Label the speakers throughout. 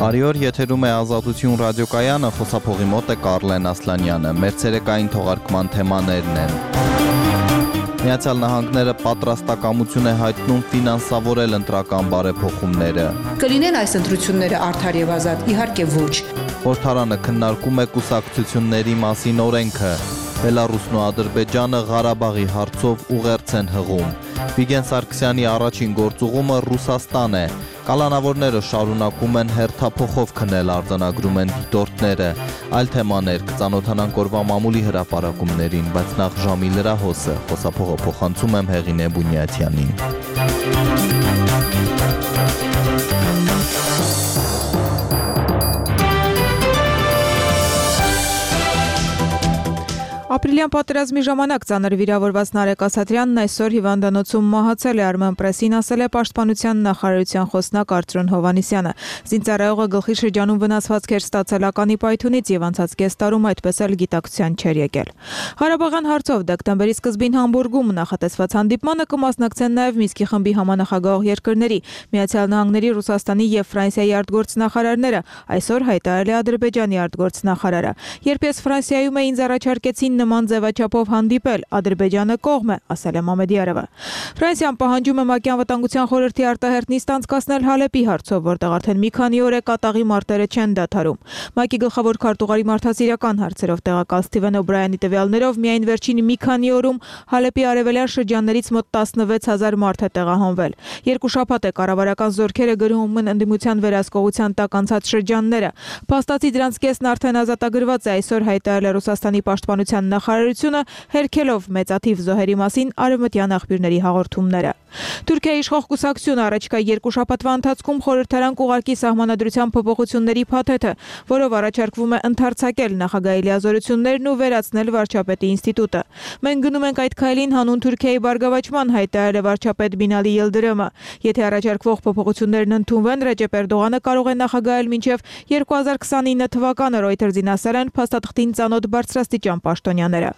Speaker 1: Բարի օր, եթերում է Ազատություն ռադիոկայանը, խոսափողի մոտ է Կարլեն Ասլանյանը։ Մեր ցերեկային թողարկման թեմաներն են. Միացյալ Նահանգները պատրաստակամություն է հայտնում ֆինանսավորել ընտրական բարեփոխումները։
Speaker 2: Կլինեն այս ընտրությունները արդար եւ ազատ, իհարկե ոչ։
Speaker 1: Խորհրդարանը քննարկում է կուսակցությունների մասին օրենքը։ Բելարուսն ու Ադրբեջանը Ղարաբաղի հարցով ուղերձ են հղում։ Վիգեն Սարգսյանի առաջին գործուղումը Ռուսաստան է։ Կալանավորները շարունակում են հերթափոխով քնել, արձանագրում են դիտորդները։ Այլ թեմաներ կծանոթանանք օրվա մամուլի հրապարակումներին, բայց նախ ժամի լրահոսը, խոսափողը փոխանցում եմ Հեղինե Բունյաթյանին։
Speaker 3: Ապրիլյան պատերազմի ժամանակ ծանր վիրավորված Նարեկ Ասատրյանն այսօր հիվանդանոցում մահացել է, Armenpress-ին ասել է Պաշտպանության նախարարության խոսնակ Արծրուն Հովհաննիսյանը։ Զինծառայողը գլխի շրջանում վնասվածքեր ստացել ականի պայթունից եւ անցած կես տարում այդպես էլ գիտակցության չէր եկել։ Ղարաբաղյան հարցով դեկտեմբերի սկզբին Համբուրգում նախատեսված հանդիպմանը կմասնակցեն նաեւ Մինսկի խմբի համանախագահող երկրների Միացյալ Նահանգների, Ռուսաստանի եւ Ֆրանսիայի արտգործնախարարները, այսօր հայտարարել է Ադրբեջանի արտգործնախարարը։ Երբ ես Ֆրանսիայում էի, ինձ առաջարկեցին նման ձևաչափով հանդիպել, Ադրբեջանը կողմ է, ասել է Մամեդիարովը։ Ֆրանսիան պահանջում է ՄԱԿ-ի անվտանգության խորհրդի արտահերթ նիստ անցկացնել Հալեպի հարցով, որտեղ արդեն մի քանի օր է կատաղի մարտերը չեն դադարում։ ՄԱԿ-ի գլխավոր քարտուղարի մարդասիրական հարցերով տեղակալ Սթիվեն Օբրայանի տվյալներով միայն վերջին մի քանի օրում Հալեպի արևելյան շրջաններից մոտ 16000 մարդ է տեղահանվել։ Երկու շաբաթ է կառավարական զորքերը գրոհում են ընդդիմության վերահսկողության տակ անցած շրջանները։ Փաստացի դրանց կեսն արդեն ազատագրված է, այսօր հայտարարել է Ռուսաստանի պաշտպանության նախարարությունը, հերքելով մեծաթիվ զոհերի մասին արևմտյան աղբյուրների հաղորդումները։ Թուրքիայի իշխող կուսակցությունը առաջիկա երկու շաբաթվա ընթացքում խորհրդարան կուղարկի սահմանադրության փոփոխությունների փաթեթը, որով առաջարկվում է ընդարձակել նախագահի լիազորություններն ու վերացնել վարչապետի ինստիտուտը։ Մենք գնում ենք այդ քայլին հանուն Թուրքիայի բարգավաճման, հայտարարել է վարչապետ Բինալի Ելդրեմը։ Եթե առաջարկվող փոփոխություններն ընդունվեն, Ռեջեփ Էրդողանը կարող է նախագահել մինչև 2029 թվականը, Reuters-ին ասել են փաստաթղթին ծանոթ բարձրաստիճան պաշտոնյաները։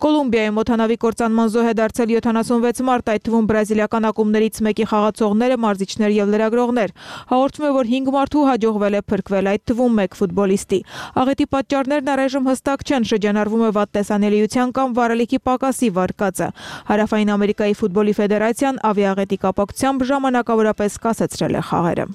Speaker 3: Կոլումբիայում օդանավի կործանման զոհ է դարձել 76 մարդ, այդ թվում բրազիլիական ակումբներից մեկի խաղացողները, մարզիչներ եւ լրագրողներ։ Հաղորդվում է, որ 5 մարդու հաջողվել է փրկվել, այդ թվում 1 ֆուտբոլիստի։ Աղետի պատճառներն առայժմ հստակ չեն, շրջանառվում է վատ տեսանելիության կամ վարելիքի պակասի վարկածը։ Հարավային Ամերիկայի ֆուտբոլի ֆեդերացիան ավիաաղետի կապակցությամբ ժամանակավորապես կասեցրել է խաղերը։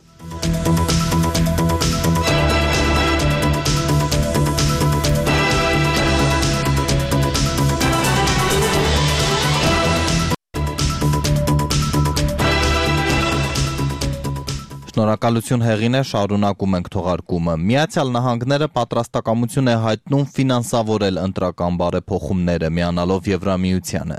Speaker 1: Շնորհակալություն Հեղինե, շարունակում ենք թողարկումը։ Միացյալ Նահանգները պատրաստակամություն է հայտնում ֆինանսավորել ընտրական բարեփոխումները, միանալով Եվրամիությանը։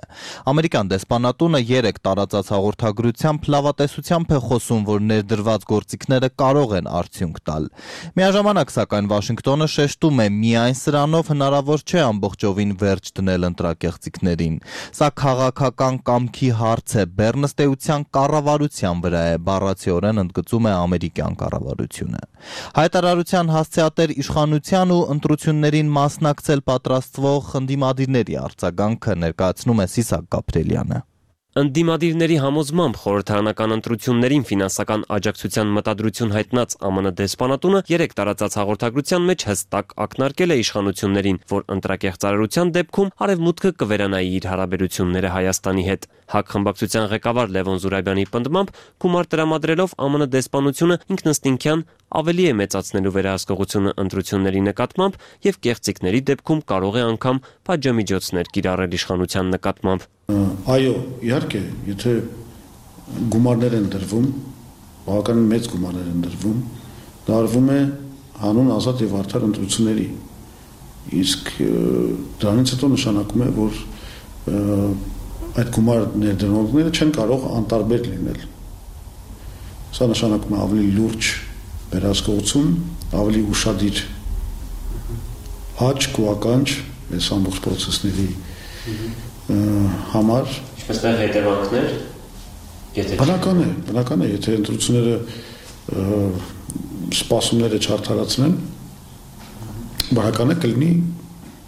Speaker 1: Ամերիկյան դեսպանատունը 3 տարածած հաղորդագրությամբ լավատեսությամբ է խոսում, որ ներդրված գործիքները կարող են արդյունք տալ։ Միաժամանակ, սակայն, Վաշինգտոնը շեշտում է, միայն սրանով հնարավոր չէ ամբողջովին վերջ դնել ընտրակեղծիքներին։ Սա քաղաքական կամքի հարց է, բեռնստեյության կառավարության վրա է, բառացիորեն ընդգծում է ամերիկյան կառավարությունը։ Հայտարարության հասցեատեր իշխանության ու ընտրություններին մասնակցել պատրաստվող ընդդիմադիրների արձագանքը ներկայացնում է Սիսակ Գաբրելյանը։
Speaker 4: Ընդդիմադիրների համոզմամբ խորհրդարանական ընտրություններին ֆինանսական աջակցության մտադրություն հայտնած ԱՄՆ դեսպանատունը 3 տարածած հաղորդագրության մեջ հստակ ակնարկել է իշխանություններին, որ ընտրակեղծարարության դեպքում Արևմուտքը կվերանայի իր հարաբերությունները Հայաստանի հետ։ ՀԱԿ խմբակցության ղեկավար Լևոն Զուրաբյանի պնդմամբ գումար տրամադրելով ԱՄՆ դեսպանությունը ինքնըստինքյան ավելի է մեծացնելու վերահսկողությունը ընտրությունների նկատմամբ եւ կեղծիքների դեպքում կարող է անգամ պատժամիջոցներ կիրառել իշխանության նկատմամբ։
Speaker 5: Այո, իհարկե, եթե գումարներ են դրվում, բավականին մեծ գումարներ են դրվում, դա արվում է հանուն ազատ եւ արդար ընտրությունների։ Իսկ դրանից հետո նշանակում է, որ այդ գումար ներդրողները չեն կարող անտարբեր լինել։ Սա նշանակում է ավելի լուրջ վերահսկողություն, ավելի ուշադիր աճ ու ականջ այս ամբողջ process-ների համար։
Speaker 4: Ինչպես նաև հետևանքներ,
Speaker 5: բնական է, եթե ընտրությունները սպասումները չարդարացնեն, բնական է կլինի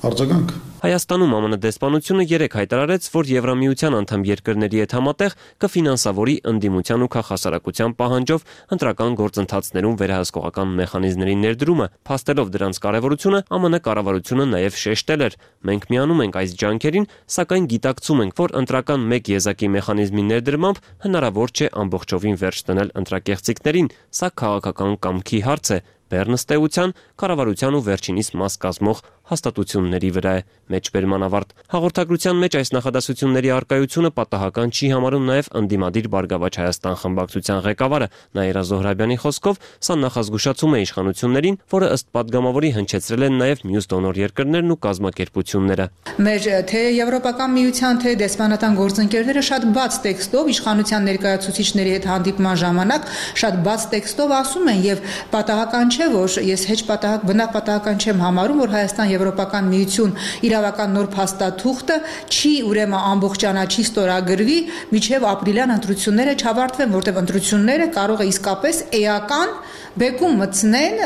Speaker 5: արձագանք։
Speaker 4: Հայաստանում ԱՄՆ դեսպանությունը երեկ հայտարարեց, որ Եվրամիության անդամ երկրների հետ համատեղ կֆինանսավորի ընդդիմության ու քաղաքասարակության պահանջով ընտրական գործընթացներում վերահսկողական մեխանիզմների ներդրումը, փաստելով դրանց կարևորությունը, ԱՄՆ կառավարությունը նաև շեշտել էր. մենք միանում ենք այս ջանքերին, սակայն գիտակցում ենք, որ ընտրական մեկ եզակի մեխանիզմի ներդրմամբ հնարավոր չէ ամբողջովին վերջ դնել ընտրակեղծիքներին, սա քաղաքական կամքի հարց է, բեռնստեյության, կառավարության ու վերջինիս մաս կազմող հաստատությունների վրա է, մեջբերման ավարտ։ Հաղորդագրության մեջ այս նախադասությունների առկայությունը պատահական չի համարում նաև ընդդիմադիր Բարգավաճ Հայաստան խմբակցության ղեկավարը Նաիրա Զոհրաբյանի խոսքով, սա նախազգուշացում է իշխանություններին, որը ըստ падգամավորի հնչեցրել են նաև մյուս դոնոր երկրներն ու կազմակերպությունները։
Speaker 2: Մեր թե Եվրոպական միության, թե դեսպանատան գործընկերները շատ բաց տեքստով իշխանության ներկայացուցիչների հետ հանդիպման ժամանակ շատ բաց տեքստով ասում են եւ պատահական չէ, որ ես հեչ բնավ պատահական չեմ համարում, որ Հայաստան Եվրոպական միություն իրավական նոր փաստաթուղթը չի ուրեմն ամբողջանա, չի ստորագրվի, միջև ապրիլյան ընտրությունները չավարտվեն, որտեղ ընտրությունները կարող է իսկապես էական բեկում մտցնեն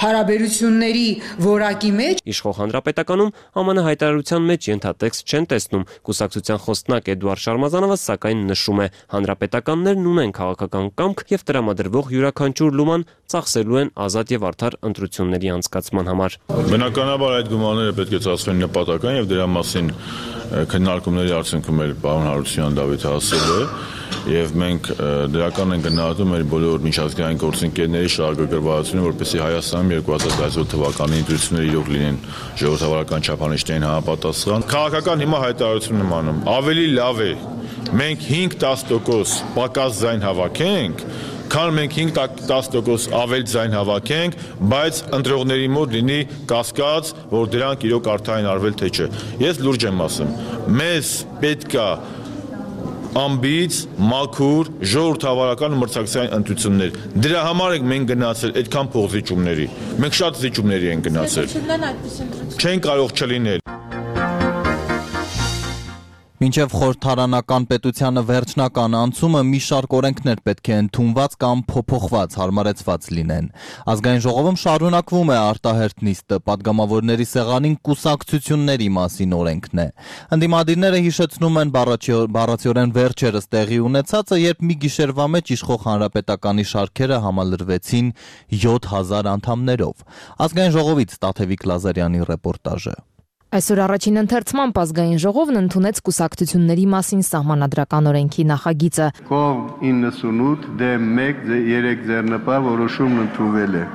Speaker 2: հարաբերությունների որակի մեջ։
Speaker 4: Իշխող հանրապետականում ԱՄՆ հայտարարության մեջ ենթատեքստ չեն տեսնում։ Կուսակցության խոսնակ Էդուարդ Շարմազանովը սակայն նշում է, հանրապետականներն ունեն քաղաքական կամք եւ տրամադրվող յուրաքանչյուր լուման ծախսելու են ազատ եւ արդար ընտրությունների անցկացման համար։
Speaker 6: Բնականաբար այդ գումարները պետք է ծախսվեն նպատական եւ դրա մասին քննարկումների արդյունքում էլ պարոն Հարությունյան Դավիթը ասել է եւ մենք դրական ենք գնահատում մեր բոլոր միջազգային գործընկերների շահագրգռվածությունը, որպեսզի Հայաստանում 2017 թվականի ընտրությունները իրոք լինեն ժողովրդավարական չափանիշներին համապատասխան։ Քաղաքական հիմա հայտարարություն եմ անում, ավելի լավ է մենք 5-10% պակաս ձայն հավաքենք, քան մենք 5-10% ավել ձայն հավաքենք, բայց ընտրողների մոտ լինի կասկած, որ դրանք իրոք արդարին արվել թե չէ։ Ես լուրջ եմ ասում, մեզ պետքա ամբից, մաքուր, ժողովրդավարական ու մրցակցային ընտրություններ։ Դրա համար ենք մենք գնացել այդքան փոխզիջումների։ Մենք շատ զիջումների ենք գնացել։ Չեն կարող չլինել։
Speaker 1: Մինչև խորհրդարանական պետությանը վերջնական անցումը մի շարք օրենքներ պետք է ընդունված կամ փոփոխված, հարմարեցված լինեն։ Ազգային ժողովում շարունակվում է արտահերթ նիստը, падգամավորների սեղանին կուսակցությունների մասին օրենքն է։ Ընդդիմադիրները հիշեցնում են բառացիորեն վերջերս տեղի ունեցածը, երբ մի գիշերվա մեջ իշխող հանրապետականի շարքերը համալրվեցին 7000 անդամներով։ Ազգային ժողովից Տաթևիկ Լազարյանի ռեպորտաժը։
Speaker 7: Այսօր առաջին ընթերցման ազգային ժողովն ընդունեց կուսակցությունների մասին սահմանադրական օրենքի նախագիծը։
Speaker 8: Կողմ 98 դեմ 1 3 ձեռնպահ որոշումն ընդունվել է։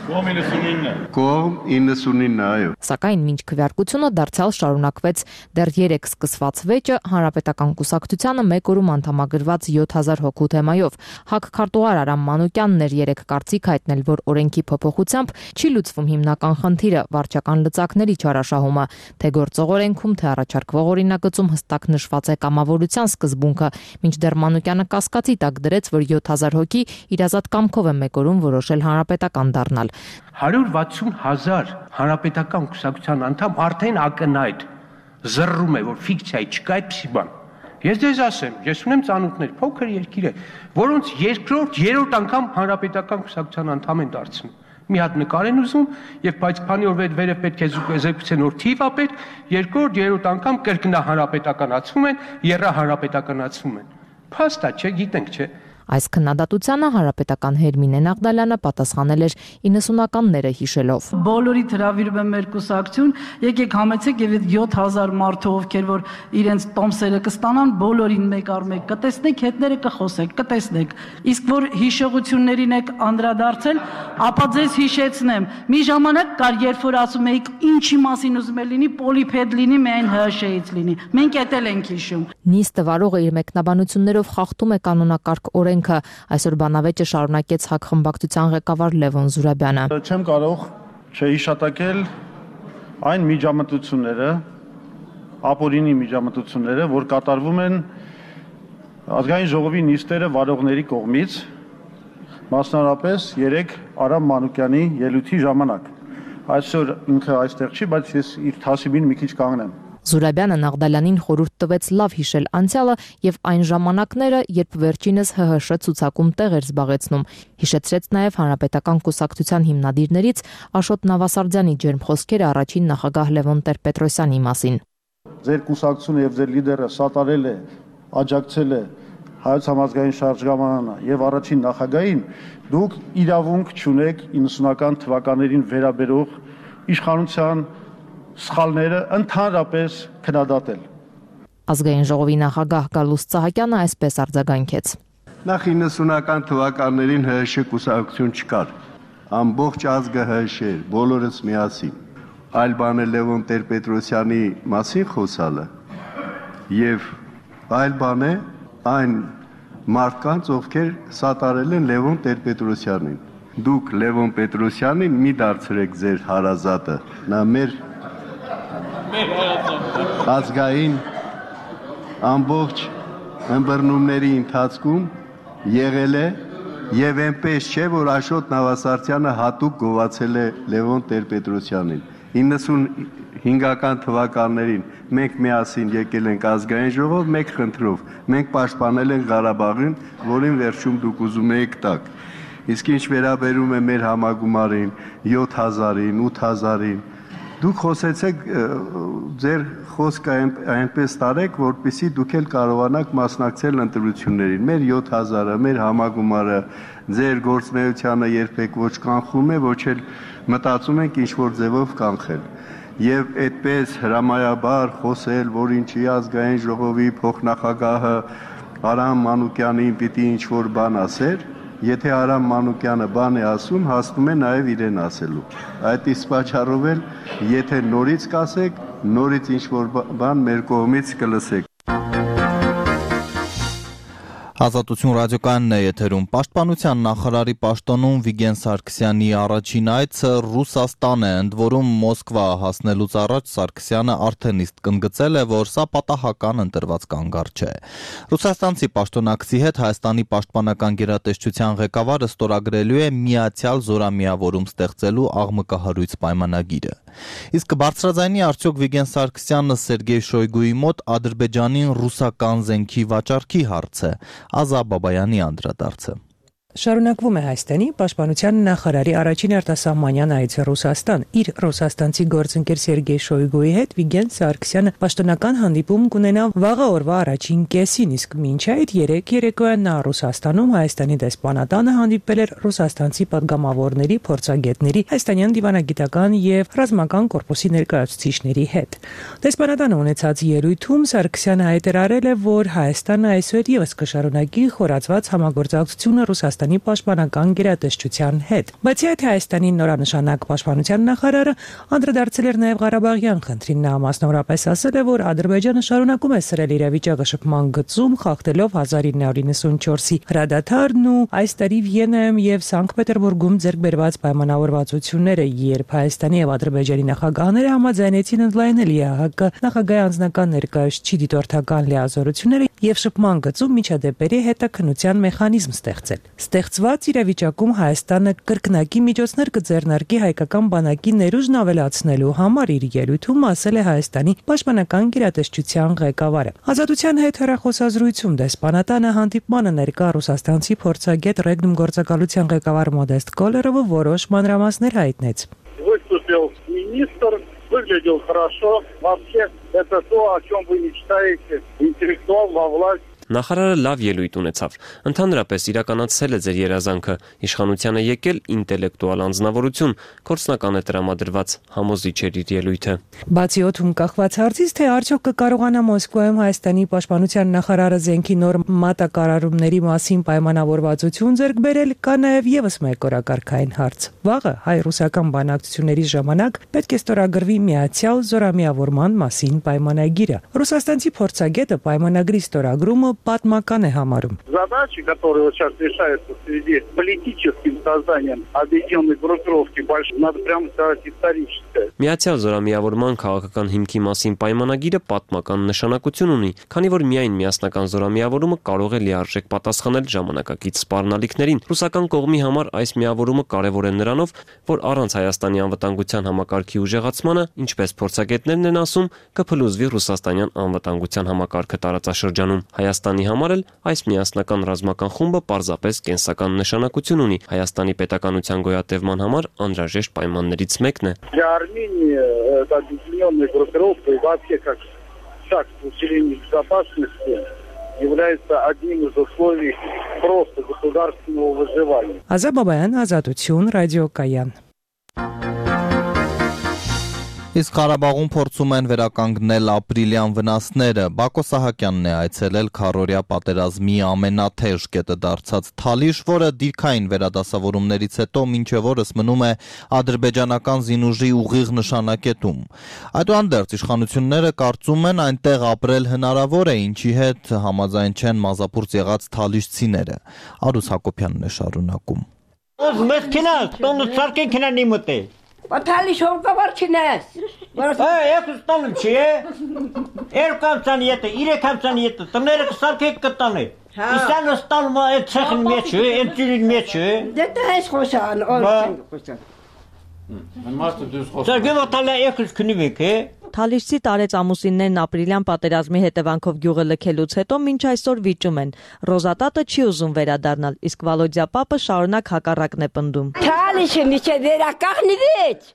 Speaker 8: Կողմ 99, այո։
Speaker 7: Սակայն մինչ քվեարկությունը դարձյալ շարունակվեց դեռ 3 սկսված վեճը հանրապետական կուսակցությանը մեկ օրում անդամագրված 7000 հոգու թեմայով։ ՀԱԿ քարտուղար Արամ Մանուկյանն էր երեկ կարծիք հայտնել, որ օրենքի փոփոխությամբ չի լուծվում հիմնական խնդիրը՝ վարչական լծակների չարաշահումը, թե գործող օրենքում, թե առաջարկվող օրինագծում հստակ նշված է կամավորության սկզբունքը, մինչդեռ Մանուկյանը կասկածի տակ դրեց, որ 7000 հոգի իրազատ կամքով է մեկ օրում որոշել հանրապետական դառնալ։
Speaker 9: 160,000 հանրապետական կուսակցության անդամ արդեն ակնհայտ զռռում է, որ ֆիկցիա չկա այդպիսի բան։ Ես ձեզ ասեմ, ես ունեմ ծանոթներ, փոքր երկիր է, որոնց երկրորդ, երրորդ անգամ հանրապետական կուսակցության անդամ են դարձնում։ Մի հատ նկար են ուզում, եւ բայց քանի որ վերև պետք է զեկուցեն, որ թիվ է պետք, երկրորդ, երրորդ անգամ կրկնա հանրապետականացվում են, երրահանրապետականացվում են։ Փաստ է, չէ, գիտենք, չէ։
Speaker 7: Այս քննադատությանը հանրապետական Հերմինե Նաղդալյանը պատասխանել էր 90-ականները հիշելով։
Speaker 10: Բոլորիդ հրավիրում եմ մեր կուսակցություն, եկեք համեցեք եւ այդ 7000 մարդու, ովքեր որ իրենց տոմսերը կստանան, բոլորին մեկ առ մեկ կտեսնեք, հետները կխոսեք, կտեսնեք։ Իսկ որ հիշողություններին եք անդրադարձել, ապա ձեզ հիշեցնեմ։ Մի ժամանակ կար, երբ որ ասում էիք, ինչի մասին ուզում եք լինի, պոլիփեդ լինի, միայն ՀՇ-ից լինի։ Մենք էդ էլ ենք հիշում։
Speaker 7: Նիստը վարողը իր մեկնաբանություններով խախտում է կանոնակարգ օրենքը, այսօր բանավեճը շարունակեց ՀԱԿ խմբակցության ղեկավար Լևոն Զուրաբյանը։
Speaker 5: Չեմ կարող չհիշատակել այն միջամտությունները, ապօրինի միջամտությունները, որ կատարվում են ազգային ժողովի նիստերը վարողների կողմից, մասնավորապես 3 Արամ Մանուկյանի ելույթի ժամանակ։ Այսօր ինքը այստեղ չի, բայց ես իր թասիբին մի քիչ կանգնեմ։
Speaker 7: Զուրաբյանը Նաղդալյանին խորհուրդ տվեց լավ հիշել անցյալը եւ այն ժամանակները, երբ վերջինս ՀՀՇ ցուցակում տեղ էր զբաղեցնում։ Հիշեցրեց նաեւ հանրապետական կուսակցության հիմնադիրներից Աշոտ Նավասարդյանի ջերմ խոսքերը առաջին նախագահ Լևոն Տեր-Պետրոսյանի մասին։
Speaker 5: Ձեր կուսակցությունը եւ ձեր լիդերը սատարել է, աջակցել է Հայոց համազգային շարժմանը եւ առաջին նախագահին, դուք իրավունք չունեք 90-ական թվականներին վերաբերող իշխանության սխալները ընդհանրապես քննադատել։
Speaker 7: Ազգային ժողովի նախագահ Գալուստ Սահակյանը այսպես արձագանքեց.
Speaker 8: Նախ 90-ական թվականներին ՀՀՇ կուսակցություն չկար։ Ամբողջ ազգը ՀՀՇ էր, բոլորս միասին։ Այլ բան է Լևոն Տեր-Պետրոսյանի մասին խոսալը եւ այլ բան է այն մարդկանց, ովքեր սատարել են Լևոն Տեր-Պետրոսյանին։ Դուք Լևոն Պետրոսյանին մի դարձրեք ձեր հարազատը։ Նա մեր ազգային ամբողջ ըմբռնումների ընթացքում եղել է եւ այնպես չէ, որ Աշոտ Նավասարդյանը հատուկ գովացել է Լևոն Տեր-Պետրոսյանին։ 95-ական թվականներին մենք միասին եկել ենք ազգային ժողով մեկ խնդրով, մենք պաշտպանել ենք Ղարաբաղին, որին վերջում դուք ուզում եք տակ։ Իսկ ինչ վերաբերում է մեր համագումարին, 7000-ին, 8000-ին, դուք խոսեցեք, ձեր խոսքը այնպես տարեք, որպեսզի դուք էլ կարողանաք մասնակցել ընտրություններին։ Մեր 7000-ը, մեր համագումարը ձեր գործունեությանը երբեք ոչ կանխում է, ոչ էլ մտածում ենք ինչ-որ ձևով կանխել։ Եվ այդպես հրամայաբար խոսել, որ ինչի ազգային ժողովի փոխնախագահը Արամ Մանուկյանին պիտի ինչ-որ բան ասեր, եթե Արամ Մանուկյանը բան է ասում, հասնում է նաև իրեն ասելու։ Այդ իսկ պատճառով էլ, եթե նորից կասեք, նորից ինչ-որ բան մեր կողմից կլսեք։
Speaker 1: Ազատություն ռադիոկայանն է եթերում։ Պաշտպանության նախարարի պաշտոնում Վիգեն Սարգսյանի առաջին այցը Ռուսաստան է, ընդ որում Մոսկվա հասնելուց առաջ Սարգսյանը արդեն իսկ կընդգծել է, որ սա պատահական ընտրված կանգառ չէ։ Ռուսաստանցի պաշտոնակցի հետ Հայաստանի պաշտպանական գերատեսչության ղեկավարը ստորագրելու է միացյալ զորամիավորում ստեղծելու աղմկահարույց պայմանագիրը։ Իսկ բարձրաձայնի արդյոք Վիգեն Սարգսյանը Սերգեյ Շոյգուի մոտ Ադրբեջանին ռուսական զենքի վաճառքի հարցը։ Ազա Բաբայանի անդրադարձը։
Speaker 11: Շարունակվում է Հայաստանի պաշտպանության նախարարի առաջին արտասահմանյան այցը Ռուսաստան։ Իր ռուսաստանցի գործընկեր Սերգեյ Շոյգուի հետ Վիգեն Սարգսյանը պաշտոնական հանդիպում կունենա վաղը օրվա առաջին կեսին, իսկ մինչ այդ երեկոյան նա Ռուսաստանում Հայաստանի դեսպանատանը հանդիպել էր ռուսաստանցի պատգամավորների, փորձագետների, հայաստանյան դիվանագիտական եւ ռազմական կորպուսի ներկայացուցիչների հետ։ Դեսպանատանը ունեցած ելույթում Սարգսյանը հայտարարել է, որ Հայաստանը այսօր եւս կշարունակի խորացված համագործակցությունը Ռուսաստանի պաշտպանական գերատեսչության հետ։ Բացի այդ, Հայաստանի նորանշանակ պաշտպանության նախարարը անդրադարձել էր նաև Ղարաբաղյան խնդրին։ Նա մասնավորապես ասել է, որ Ադրբեջանը շարունակում է սրել իրավիճակը շփման գծում, խախտելով 1994-ի հրադադարն ու այս տարի Վիեննայում եւ Սանկտ Պետերբուրգում ձեռք բերված պայմանավորվածությունները, երբ Հայաստանի եւ Ադրբեջանի նախագահները համաձայնեցին ընդլայնել ԵԱՀԿ նախագահի անձնական ներկայացուցիչի դիտորդական լիազորությունները եւ շփման գծում միջադեպերի հետաքննության մեխանիզմ ստեղծել։ Ստեղծված իրավիճակում Հայաստանը կրկնակի միջոցներ կձեռնարկի հայկական բանակի ներուժն ավելացնելու համար, իր ելույթում ասել է Հայաստանի պաշտպանական գերատեսչության ղեկավարը։ Ազատության հետ հեռախոսազրույցում դեսպանատանը հանդիպմանը ներկա ռուսաստանցի փորձագետ Ռեգնում գործակալության ղեկավար Մոդեստ Կոլերովը որոշ մանրամասներ հայտնեց։
Speaker 12: Выглядел хорошо. Вообще, это то, о чем вы мечтаете. Интеллектуал во власть.
Speaker 4: Նախարարը լավ ելույթ ունեցավ։ Ընդհանրապես իրականացել է ձեր երազանքը, իշխանությանը եկել ինտելեկտուալ անձնավորություն, գործնական է տրամադրված, համոզիչ էր իր ելույթը։
Speaker 11: Բացի օդում կախված հարցից, թե արդյոք կկարողանա Մոսկվայում Հայաստանի պաշտպանության նախարարը զենքի նոր մատակարարումների մասին պայմանավորվածություն ձեռք բերել, կա նաև եւս մեկ օրակարգային հարց։ Վաղը հայ-ռուսական բանակցությունների ժամանակ պետք է ստորագրվի միացյալ զորամիավորման մասին պայմանագիրը։ Ռուսաստանցի փորձագետը պայմանագրի ստորագրումը պատմական է համարում։
Speaker 12: Задачи, которые вот сейчас решаются в связи с политическим созданием объединенной группировки, надо прямо сказать, историческое.
Speaker 4: Միացյալ զորամիավորման քաղաքական հիմքի մասին պայմանագիրը պատմական նշանակություն ունի, քանի որ միայն միասնական զորամիավորումը կարող է լիարժեք պատասխանել ժամանակակից սպառնալիքներին։ Ռուսական կողմի համար այս միավորումը կարևոր է նրանով, որ առանց Հայաստանի անվտանգության համակարգի ուժեղացմանը, ինչպես փորձագետներն են ասում, կփլուզվի ռուսաստանյան անվտանգության համակարգը տարածաշրջանում։ Հայաստանի համար էլ այս միասնական ռազմական խումբը պարզապես կենսական նշանակություն ունի Հայաստանի պետականության գոյատևման համար անհրաժեշտ պայմաններից մեկն է։
Speaker 12: Для Армении это объединенная группировка и вообще как шаг к усилению безопасности является одним из условий просто государственного выживания.
Speaker 11: Ազաբաբայան, Ազատություն, ռադիոկայան։
Speaker 1: Իսկ Ղարաբաղում փորձում են վերականգնել ապրիլյան վնասները։ Բակո Սահակյանն է այցելել քառօրյա պատերազմի ամենաթեժ կետը դարձած Թալիշ, որը դիրքային վերադասավորումներից հետո մինչև օրս մնում է ադրբեջանական զինուժի ուղիղ նշանակետում։ Այդուհանդերձ իշխանությունները կարծում են այնտեղ ապրել հնարավոր է, ինչի հետ համաձայն չեն մազապուրծ եղած թալիշցիները։ Արուս Հակոբյանն է շարունակում։
Speaker 13: Մեզ քնած, տոնը սարքեն քնանի մտե։ Պատալի շորկավար չնես։ Ես ստանում չի, երկու ամսան ետը, 3 ամսան ետը, տները կսարքեք կտանը։ Իսանը ստանում այդ ցեխին մեջ, այդ ջուրին մեջ։ Դե դա ես խոսան, խոսան։ Մարդը դուս խոսան։ Դա գովտալը եկուս քնիվեք,
Speaker 7: Թալիշցի տարեց ամուսիններն ապրիլյան պատերազմի հետևանքով գյուղը լքելուց հետո մինչ այսօր վիճում են։ Ռոզատատը չի ուզում վերադառնալ, իսկ Վալոդյա պապը շարունակ հակառակն է պնդում։
Speaker 13: Թալիշը միջե վերականգնվեց։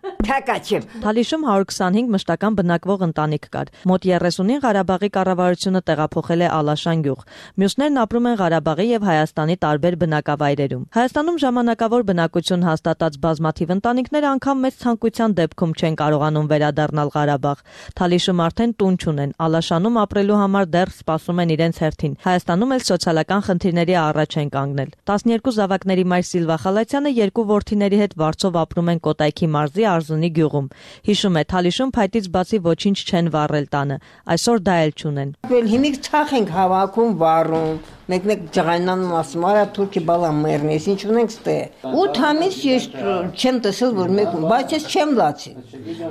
Speaker 7: Թալիշում 125 մշտական բնակվող ընտանիք կար։ Մոտ 30-ին Ղարաբաղի կառավարությունը տեղափոխել է Ալաշան գյուղ։ Մյուսներն ապրում են Ղարաբաղի եւ Հայաստանի տարբեր բնակավայրերում։ Հայաստանում ժամանակավոր բնակություն հաստատած բազմաթիվ ընտանիքներ անգամ մեծ ցանկության դեպքում չեն կարողանում վերադառնալ Ղարաբաղ։ Թալիշում արդեն տուն չունեն։ Ալաշանում ապրելու համար դեռ սպասում են իրենց հերթին։ Հայաստանում էլ սոցիալական խնդիրների առաջ են կանգնել։ 12 զավակների մայր Սիլվա Խալացյանը 2 որդիների հետ Վարչով ապրում են Կոտայքի մարզի Արզունի գյուղում։ Հիշում է, Թալիշում փայտից բացի ոչինչ չեն վառել տանը։ Այսօր դա էլ չունեն։
Speaker 13: Հիմիկ ցախ ենք հավաքում, վառում, մեկ-մեկ ջղայնանում ասում, արա թուրքի բալա մեռնես, ինչ ունենք ստե։ 8 ամիս ես չեմ տեսել, որ մեկ, բայց ես չեմ լացի։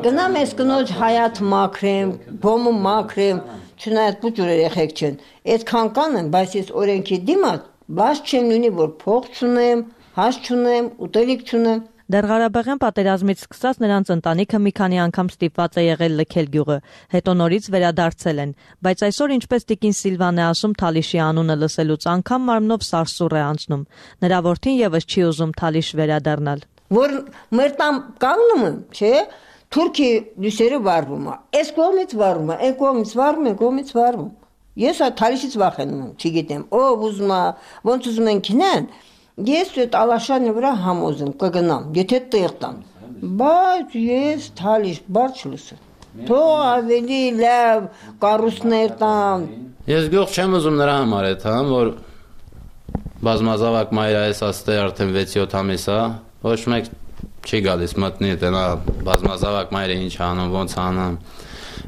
Speaker 13: Գնամ ես կնոջ հայաթ մաքրեմ, բոմը մաքրեմ, չնայած փուճուր երեխեք չեն։ Այդքան կանեմ, բայց ես օրենքի դիմաց, բաց չեմ ունի, որ փող չունեմ, հաշ չունեմ, ուտելիք չունեմ։
Speaker 7: Դեռ Ղարաբաղյան պատերազմից սկսած նրանց ընտանիքը մի քանի անգամ ստիպված է եղել լքել գյուղը, հետո նորից վերադարձել են, բայց այսօր ինչպես տիկին Սիլվան է ասում, Թալիշի անունը լսելուց անգամ մարմնով սարսուռ է անցնում։ Նրա որդին եւս չի ուզում Թալիշ վերադառնալ։
Speaker 13: Որ մեր տամ կանգնում եմ, չէ՞, թուրքի լույսերը վառվում է, այս կողմից վառվում է, այն կողմից վառվում, այն կողմից վառվում։ Ես Թալիշից վախենում եմ, չգիտեմ, ով ուզում է, ոնց ուզում են քնեն։ Ես այդ Ալաշանի վրա համոզում կգնամ, եթե տեղ տան, բայց ես Թալիշ բարձ չլսեմ։ Թող ավելի լավ կառույցներ տան։
Speaker 14: Ես գյուղ չեմ ուզում նրա համար այդ, որ բազմազավակ մայր այս աստե արդեն 6-7 ամիս է, ոչ մեկ չի գալիս մտնի տնա բազմազավակ մայրը ինչ անում, ոնց անում։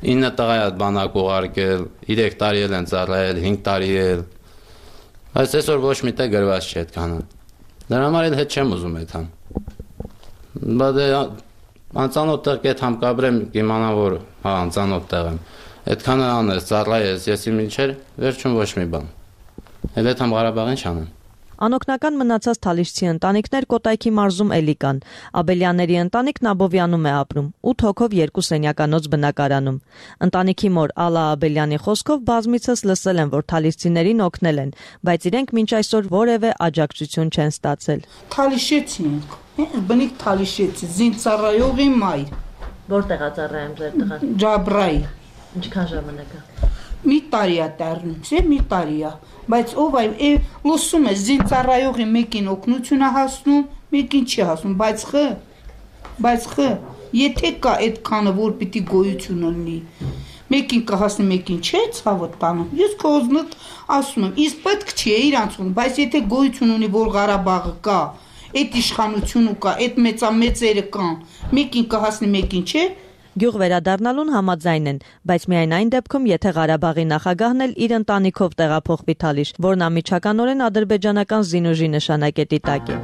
Speaker 14: 9 տղա է բանակ ուղարկել, 3 տարի են ծառայել, 5 տարի էլ։ Այս այսօր ոչ մի տեղ գրված չի այդքանը։ Դրա համար էլ հետ չեմ ուզում այդ համ։ Բայց անծանոթ տեղ կետ համ կաբրեմ իմանամ, որ անծանոթ տեղ եմ։ Այդքանը անես, ծառայես, ես իմ ինչեր, վերջում ոչ մի բան։ Էլ այդ համ Ղարաբաղին չանեմ։
Speaker 7: Անօգնական մնացած թալիշցի ընտանիքներ Կոտայքի մարզում էլի կան։ Աբելյանների ընտանիքն Աբովյանում է ապրում, 8 հոգով 2 սենյականոց բնակարանում։ Ընտանիքի մոր Ալա Աբելյանի խոսքով բազմիցս լսել են, որ թալիշցիներին օգնել են, բայց իրենք մինչ այսօր որևէ աջակցություն չեն ստացել։
Speaker 15: Թալիշեցի ենք, բնիկ թալիշեցի, զինծառայողի մայր։
Speaker 7: Որտեղ է ծառայում ձեր տղան։
Speaker 15: Ջաբրայի։
Speaker 7: Ինչքան ժամանակ է։
Speaker 15: Մի տարի է տառնում, մի տարի է, բայց ով այ լսում է զինծառայողի մեկին օգնություն է հասնում, մեկին չի հասնում, բայց եթե կա այդքանը, որ պիտի գոյություն ունի, մեկին կհասնի, մեկին չէ, ցավոտ տանում։ Ես քոզնոտ ասում եմ, իսկ պետք չի իրանցում, բայց եթե գոյություն ունի, որ Ղարաբաղը կա, այդ իշխանությունը կա, այդ մեծամեծերը կան, մեկին կհասնի, մեկին չէ։
Speaker 7: Գյուղ վերադառնալուն համաձայն են, բայց միայն այն դեպքում, եթե Ղարաբաղի նախագահն էլ իր ընտանիքով տեղափոխվի Թալիշ, որն անմիջականորեն ադրբեջանական զինուժի նշանակետի տակ է։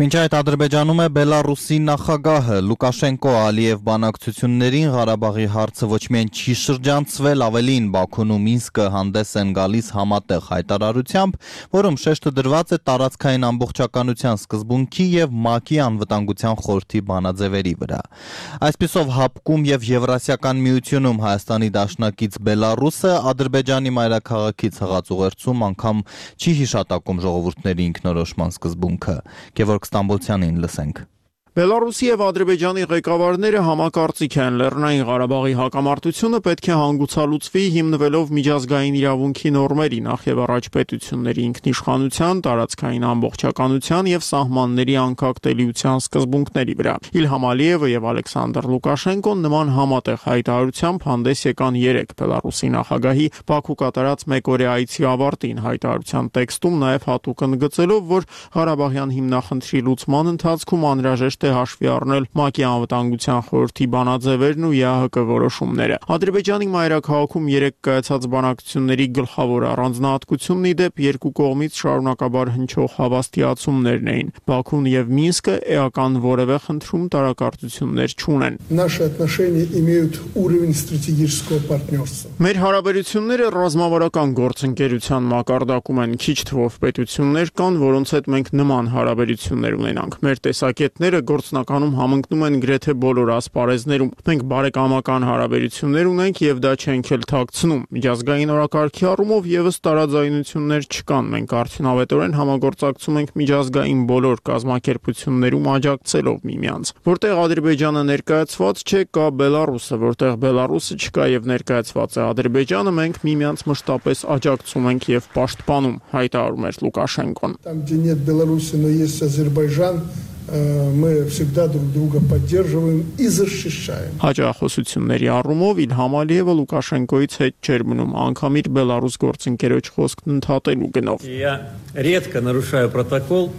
Speaker 1: Մինչ այդ Ադրբեջանում է Բելարուսի նախագահը Լուկաշենկո Ալիև բանակցություններին Ղարաբաղի հարցը ոչ միայն չի շրջանցվել, ավելին Բաքուն ու Մինսկը հանդես են գալիս համատեղ հայտարարությամբ, որում շեշտը դրված է տարածքային ամբողջականության սկզբունքի եւ ՄԱԿ-ի անվտանգության խորհրդի բանաձևերի վրա։ Այսպիսով հապկում եւ Եվրասիական միությունում Հայաստանի դաշնակից Բելարուսը Ադրբեջանի մայրաքաղաքից հղած ուղերձում անգամ չի հիշատակում ժողովուրդների ինքնորոշման սկզբունքը։ Գևորգ Ստամբոլցյանին լսենք։
Speaker 16: Բելարուսի եւ Ադրբեջանի ղեկավարները համակարծիք են Լեռնային Ղարաբաղի հակամարտությունը պետք է հանգուցալուծվի հիմնվելով միջազգային իրավունքի նորմերի, նախ եւ առաջ պետությունների ինքնիշխանության, տարածքային ամբողջականության եւ սահմանների անկախտելիության սկզբունքների վրա։ Իլհամ Ալիևը եւ Ալեքսանդր Լուկաշենկոն նման համատեղ հայտարարությամբ հանդես եկան 3 Բելարուսի նախագահի Բաքու կատարած մեկօրյա այցի ավարտին, հայտարարության տեքստում նաեւ հատուկ ընդգծելով, որ Ղարաբաղյան հիմնախնդրի լուծման ընթացքում անհրաժեշտ է հաշվի առնել ՄԱԿ-ի անվտանգության խորհրդի բանաձևերն ու ԵԱՀԿ որոշումները։ Ադրբեջանի մայրաքաղաքում 3 կայացած բանակցությունների գլխավոր առանձնահատկությունն ի դեպ երկու կողմից շարունակաբար հնչող հավաստիացումներն էին։ Բաքուն եւ Մինսկը էական որևէ խնդրում տարակարծություններ չունեն։
Speaker 17: Наши отношения имеют уровень стратегического партнерства.
Speaker 16: Մեր հարաբերությունները ռազմավարական գործընկերության մակարդակում են, քիչ թվով պետություններ կան, որոնց հետ մենք նման հարաբերություններ ունենանք։ Մեր տեսակետները գործնականում համընկնում են գրեթե բոլոր ասպարեզներում։ Մենք բարեկամական հարաբերություններ ունենք եւ դա չենք էլ թաքցնում։ Միջազգային օրակարգի առումով եւս տարաձայնություններ չկան։ Մենք արդյունավետորեն համագործակցում ենք միջազգային բոլոր կազմակերպություններում աջակցելով միմյանց։ Որտեղ Ադրբեջանը ներկայացված չէ, կա Բելարուսը, որտեղ Բելարուսը չկա եւ ներկայացված է Ադրբեջանը, մենք միմյանց մշտապես աջակցում ենք եւ պաշտպանում, հայտարարում էր Լուկաշենկոն։
Speaker 17: Там, где нет Беларуси, но есть Азербайджан, мы всегда друг друга поддерживаем и защищаем.
Speaker 16: Հաջողությունների առումով Իլհամ Ալիևը Լուկաշենկոից հետ չէր մնում, անգամ իր Բելարուս գործընկերոջ խոսքն ընդհատելու գնով։
Speaker 18: Я редко нарушаю протокол,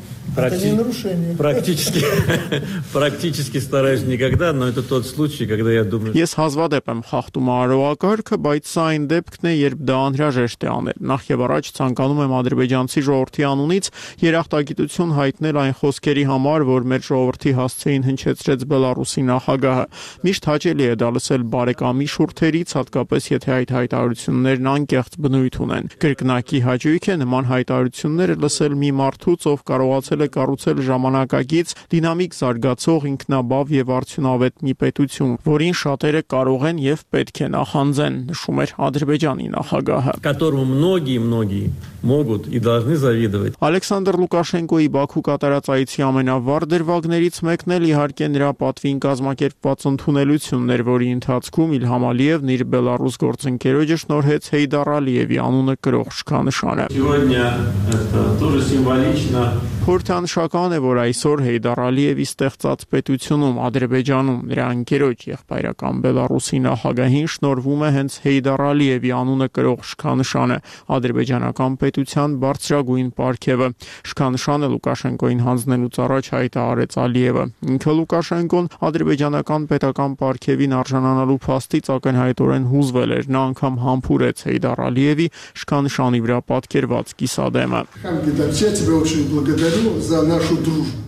Speaker 18: практически стараюсь никогда, но это тот случай, когда я думаю.
Speaker 16: Ես հազվադեպ եմ խախտում արարողակարգը, բայց սա այն դեպքն է, երբ դա անհրաժեշտ է անել։ Նախ եւ առաջ ցանկանում եմ ադրբեջանցի ժողովրդի անունից երախտագիտություն հայտնել այն խոսքերի համար, որ մեր ժողովրդի հասցեին հնչեցրեց Բելարուսի նախագահը։ Միշտ հաճելի է դա լսել բարեկամի շուրթերից, հատկապես եթե այդ հայտարարություններն անկեղծ բնույթ ունեն։ Կրկնակի հաճույք է նման հայտարարությունները լսել մի մարդուց, ով կարողացել է կառուցել ժամանակակից, դինամիկ զարգացող, ինքնաբավ եւ արդյունավետ մի պետություն, որին շատերը կարող են եւ պետք է նախանձեն, նշում էր Ադրբեջանի նախագահը։
Speaker 18: Которому многие могут и должны завидовать.
Speaker 16: Ալեքսանդր Լուկաշենկոյի Բաքու կատարած այցի ամենավառ դրվագներից մեկն էլ իհարկե նրա պատվին կազմակերպված ընդունելությունն էր, որի ընթացքում Իլհամ Ալիևն իր Բելարուս գործընկերոջը շնորհեց Հեյդար Ալիևի անունը կրող շքանշանը։
Speaker 18: Сегодня это тоже символично.
Speaker 16: Խորհրդանշական է, որ այսօր Հեյդար Ալիևի ստեղծած պետությունում Ադրբեջանում նրա ընկերոջ եղբայրական Բելարուսի նախագահին շնորհվում է հենց Հեյդար Ալիևի անունը կրող շքանշանը, ադրբեջանական պետության բարձրագույն պարգևը։ Շքանշանը Լուկաշենկոին հանձնելուց առաջ հայտարարեց Ալիևը։ Ինքը Լուկաշենկոն ադրբեջանական պետական պարգևին արժանանալու փաստից ակնհայտորեն հուզվել էր, նա անգամ համբուրեց Հեյդար Ալիևի շքանշանի վրա պատկերված կիսադեմը։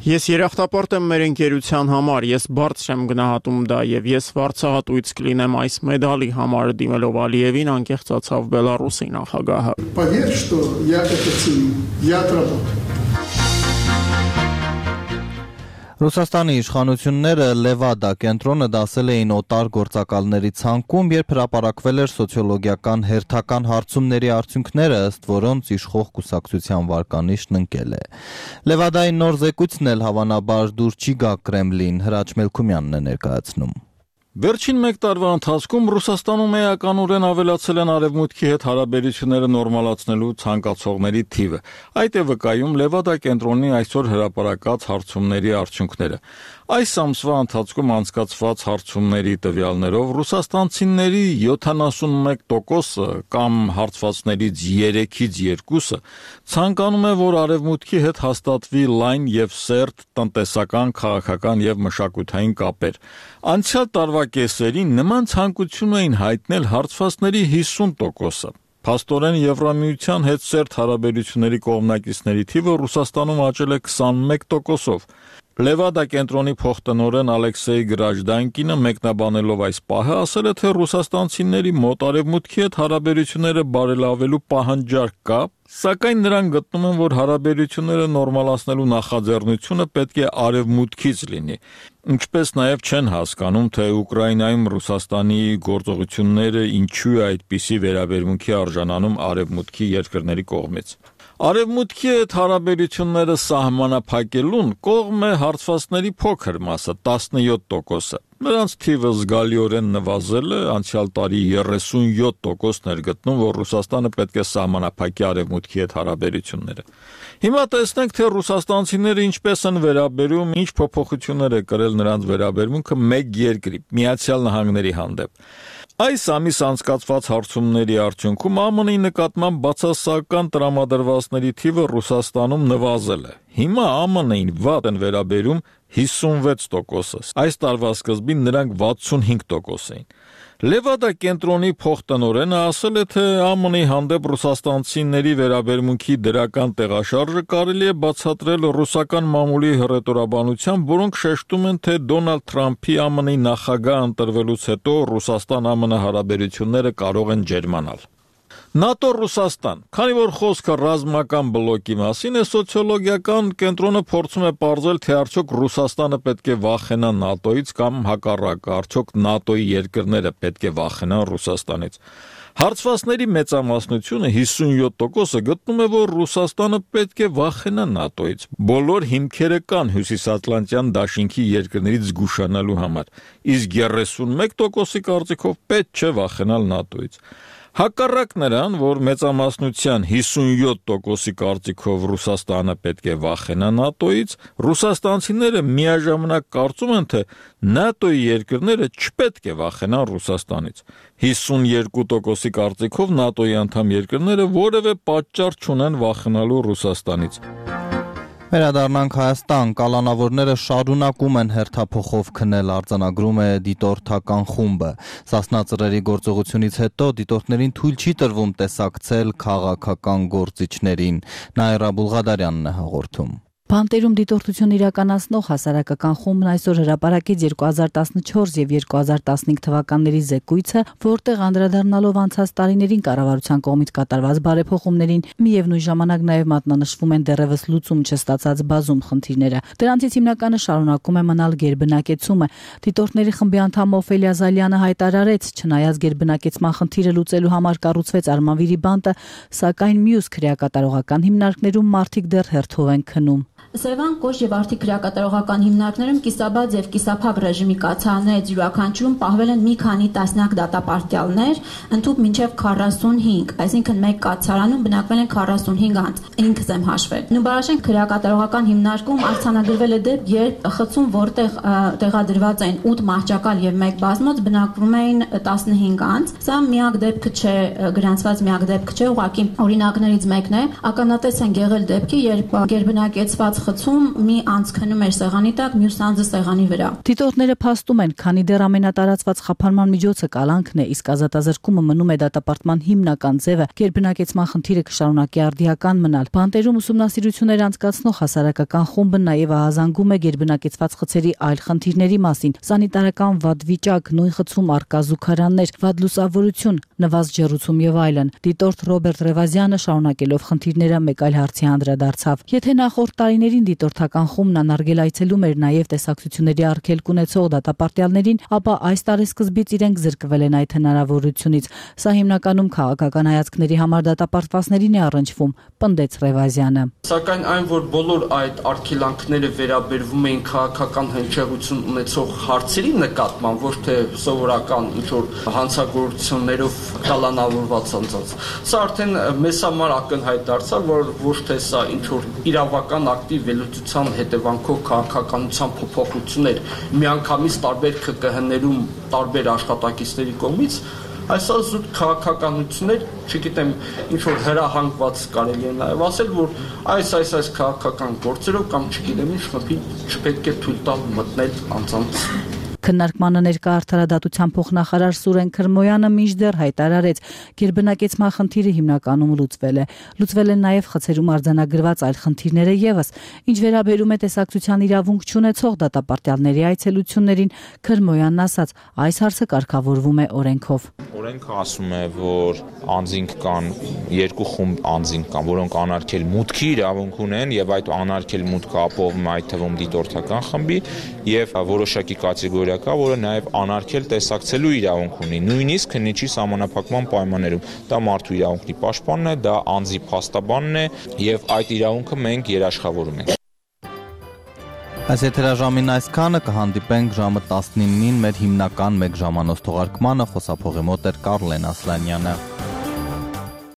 Speaker 16: Ես երախտապարտ եմ մեր ընկերության համար, ես բարձր եմ գնահատում դա եւ ես վարձահատույց կլինեմ այս մեդալի համար, դիմելով Ալիևին անկեղծացավ Բելարուսի նախագահը։
Speaker 17: Поверь, что я это ценю. Я отработаю.
Speaker 1: Ռուսաստանի իշխանությունները Լևադա կենտրոնը դասել էին օտար գործակալների ցանկում, երբ հրապարակվել էր սոցիոլոգիական հերթական հարցումների արդյունքները, ըստ որոնց իշխող կուսակցության վարկանիշն ընկել է։ Լևադայի նոր զեկույցն էլ հավանաբար դուր չի գա Կրեմլին, Հրաչ Մելքումյանն է ներկայացնում։
Speaker 6: Վերջին մեկ տարվա ընթացքում Ռուսաստանում էականորեն ավելացել են արևմուտքի հետ հարաբերությունները նորմալացնելու ցանկացողների թիվը։ Այդ է վկայում Լևադա կենտրոնի այսօր հրապարակած հարցումների արդյունքները։ Այս ամսվա ընթացքում անցկացված հարցումների տվյալներով ռուսաստանցիների 71% կամ հարցվածներից 3-ից 2-ը ցանկանում է, որ արևմուտքի հետ հաստատվի լայն եւ սերտ տնտեսական, քաղաքական եւ մշակութային կապեր։ Անցյալ տարվա կեսերին նման ցանկություն էին հայտնել հարցվածների 50%-ը։ Փաստորեն Եվրամիության հետ սերտ հարաբերությունների կողմնակիցների թիվը Ռուսաստանում աճել է 21%-ով։ Լևադա կենտրոնի փոխտնօրեն Ալեքսեյ Գրաժդանկինը մեկնաբանելով այս պահը ասել է, թե ռուսաստանցիների մոտ արևմուտքի հետ հարաբերությունները բարելավելու պահանջարկ կա, սակայն նրանք գտնում են, որ հարաբերությունները նորմալացնելու նախաձեռնությունը պետք է արևմուտքից լինի։ Ինչպես նաև չեն հասկանում, թե Ուկրաինայում Ռուսաստանի գործողությունները ինչու է այդպիսի վերաբերմունքի արժանանում արևմուտքի երկրների կողմից։
Speaker 19: Արևմուտքի հետ հարաբերությունները սահմանափակելուն կողմ է հարցվածների փոքր մասը, 17%-ը։ Նրանց թիվը զգալիորեն նվազել է, անցյալ տարի 37%-ն էր գտնում, որ Ռուսաստանը պետք է սահմանափակի Արևմուտքի հետ հարաբերությունները։ Հիմա տեսնենք, թե ռուսաստանցիները ինչպես են վերաբերում, ինչ փոփոխություններ է կրել նրանց վերաբերմունքը մեկ երկրի՝ Միացյալ Նահանգների հանդեպ։ Այս ամիս անցկացված հարցումների արդյունքում ԱՄՆ-ի նկատմամբ բացասական տրամադրվածների թիվը Ռուսաստանում նվազել է։ Հիմա ԱՄՆ-ին վատ են վերաբերում 56%-ը։ Այս տարվա սկզբին նրանք 65% էին։ Լևադա կենտրոնի փոխտնօրենը ասել է, թե ԱՄՆ-ի հանդեպ ռուսաստանցիների վերաբերմունքի դրական տեղաշարժը կարելի է բացատրել ռուսական մամուլի հռետորաբանությամբ, որոնք շեշտում են, թե Դոնալդ Թրամփի ԱՄՆ-ի նախագահ ընտրվելուց հետո Ռուսաստան-ԱՄՆ հարաբերությունները կարող են ջերմանալ։ ՆԱՏՕ-Ռուսաստան, քանի որ խոսքը ռազմական բլոկի մասին է, սոցիոլոգիական կենտրոնը փորձում է պարզել, թե արդյոք Ռուսաստանը պետք է վախենա ՆԱՏՕ-ից կամ հակառակը, արդյոք ՆԱՏՕ-ի երկրները պետք է վախենան Ռուսաստանից։ Հարցվածների մեծամասնությունը 57%-ը գտնում է, որ Ռուսաստանը պետք է վախենա ՆԱՏՕ-ից։ Բոլոր հիմքերը կան Հյուսիսատլանտյան դաշինքի երկրներից զգուշանալու համար, իսկ 31%-ի կարծիքով պետք չէ վախենալ ՆԱՏՕ-ից։ Հակառակ նրան, որ մեծամասնության 57%-ի կարծիքով Ռուսաստանը պետք է վախենա ՆԱՏՕ-ից, ռուսաստանցիները միաժամանակ կարծում են, թե ՆԱՏՕ-ի երկրները չպետք է վախենան Ռուսաստանից։ 52%-ի կարծիքով ՆԱՏՕ-ի անդամ երկրները որևէ պատճառ չունեն վախենալու Ռուսաստանից։
Speaker 1: Վերադառնանք Հայաստան, կալանավորները շարունակում են հերթափոխով քնել, արձանագրում է դիտորդական խումբը։ Սասնա ծռերի գործողությունից հետո դիտորդներին թույլ չի տրվում տեսակցել քաղաքական գործիչներին։ Նաիրա Բուլղադարյանն է հաղորդում։
Speaker 20: Բանտերում դիտորդություն իրականացնող հասարակական խումբն այսօր հրապարակեց 2014 եւ 2015 թվականների զեկույցը, որտեղ անդրադառնալով անցած տարիներին կառավարության կողմից կատարված բարեփոխումներին, միևնույն ժամանակ նաեւ մատնանշվում են դեռևս լուծում չստացած բազում խնդիրները։ Դրանցից հիմնականը շարունակում է մնալ գերբնակեցումը։ Դիտորդների խմբի անդամ Օֆելիա Զալյանը հայտարարեց, չնայած գերբնակեցման խնդիրը լուծելու համար կառուցվեց Արմավիրի բանտը, սակայն մյուս քրեակատարողական հիմնարկներում մարդիկ դեռ հերթով են քնում։
Speaker 21: Սևան, Կոշ եւ Արթի քրեակատարողական հիմնարկներում կիսաբաց եւ կիսափակ ռեժիմի կացարաններից յուրաքանչյուրում պահվել են մի քանի տասնյակ դատապարտյալներ, ընդհանուր մինչեւ 45, այսինքն մեկ կացարանում բնակվել են 45 անձ, ինքս եմ հաշվել։ Նուբարաշեն քրեակատարողական հիմնարկում արձանագրվել է դեպք, երբ խցում, որտեղ տեղադրված են 8 մահճակալ եւ 1 բազմոց, բնակվում էին 15 անձ։ Սա միակ դեպքը չէ, գրանցված միակ դեպքը չէ, ուղղակի օրինակներից մեկն է։ Ականատես են եղել դեպքի, երբ գերբնակեցված խցում մի անձ քնում էր սեղանի տակ, մյուս անձը սեղանի վրա։
Speaker 20: Դիտորդները փաստում են, քանի դեռ ամենատարածված խափանման միջոցը կալանքն է, իսկ ազատազրկումը մնում է դատապարտման հիմնական ձևը, գերբնակեցման խնդիրը կշարունակի արդիական մնալ։ Բանտերում ուսումնասիրություններ անցկացնող հասարակական խումբը նաև ահազանգում է գերբնակեցված խցերի այլ խնդիրների մասին՝ սանիտարական վատ վիճակ, նույն խցում առկա զուգարաններ, վատ լուսավորություն, նվազ ջեռուցում եւ այլն։ Դիտորդ Ռոբերտ Ռևազյանը շարունակելով խնդիրները մեկ այլ հարցի անդրադարձավ։ Եթե նախորդ տարիներին դիտորդական խումբն անարգել այցելում էր նաև տեսակցությունների արգելք ունեցող դատապարտյալներին, ապա այս տարեսկզբից իրենք զրկվել են այդ հնարավորությունից։ Սա հիմնականում քաղաքական հայացքների համար դատապարտվածներին է առնչվում, պնդեց Ռևազյանը։
Speaker 22: Սակայն այն, որ բոլոր այդ արգելանքները վերաբերվում էին քաղաքական հնչեղություն ունեցող հարցերի նկատմամբ, ոչ թե սովորական ինչ-որ հանցագործություններով կալանավորված անձանց, սա արդեն մեզ համար ակնհայտ դարձավ, որ ոչ թե սա ինչ-որ իրավական ակտիվ վերլուծության հետևանքով քաղաքականության փոփոխություններ միանգամից տարբեր ԿԿՀ-ներում տարբեր աշխատակիցների կողմից, այսօր զուտ քաղաքականություններ, չգիտեմ, ինչ-որ հրահանգված կարելի է նաև ասել, որ այս քաղաքական գործերով կամ չգիտեմ ինչ խփի չպետք է թույլ տալ մտնել անձանց։
Speaker 20: Քննարկմանը ներկա արդարադատության փոխնախարար Սուրեն Քրմոյանը մինչդեռ հայտարարեց, գերբնակեցման խնդիրը հիմնականում լուծվել է։ Լուծվել են նաև խցերում արձանագրված այլ խնդիրները եւս։ Ինչ վերաբերում է տեսակցության իրավունք չունեցող դատապարտյալների այցելություններին, Քրմոյանն ասաց, այս հարցը կարգավորվում է օրենքով։
Speaker 23: Օրենքը ասում է, որ անձինք կան, երկու խումբ անձինք կան, որոնք անարգել մուտքի իրավունք ունեն եւ այդ անարգել մուտքը ապահովում է այդ թվում դիտորդական խմբի եւ որոշակի կատեգորիա օրինակ կա, որը նաև անարգել տեսակցելու իրավունք ունի, նույնիսկ քննիչի սահմանափակման պայմաններում։ Դա մարդու իրավունքի պաշտպանն է, դա անձի փաստաբանն է, եւ այդ իրավունքը մենք երաշխավորում ենք։
Speaker 1: Այս եթերաժամին այսքանը, կհանդիպենք ժամը 19-ին մեր հիմնական 1 ժամանոց թողարկմանը, խոսափողի մոտ էր Կարլեն Ասլանյանը։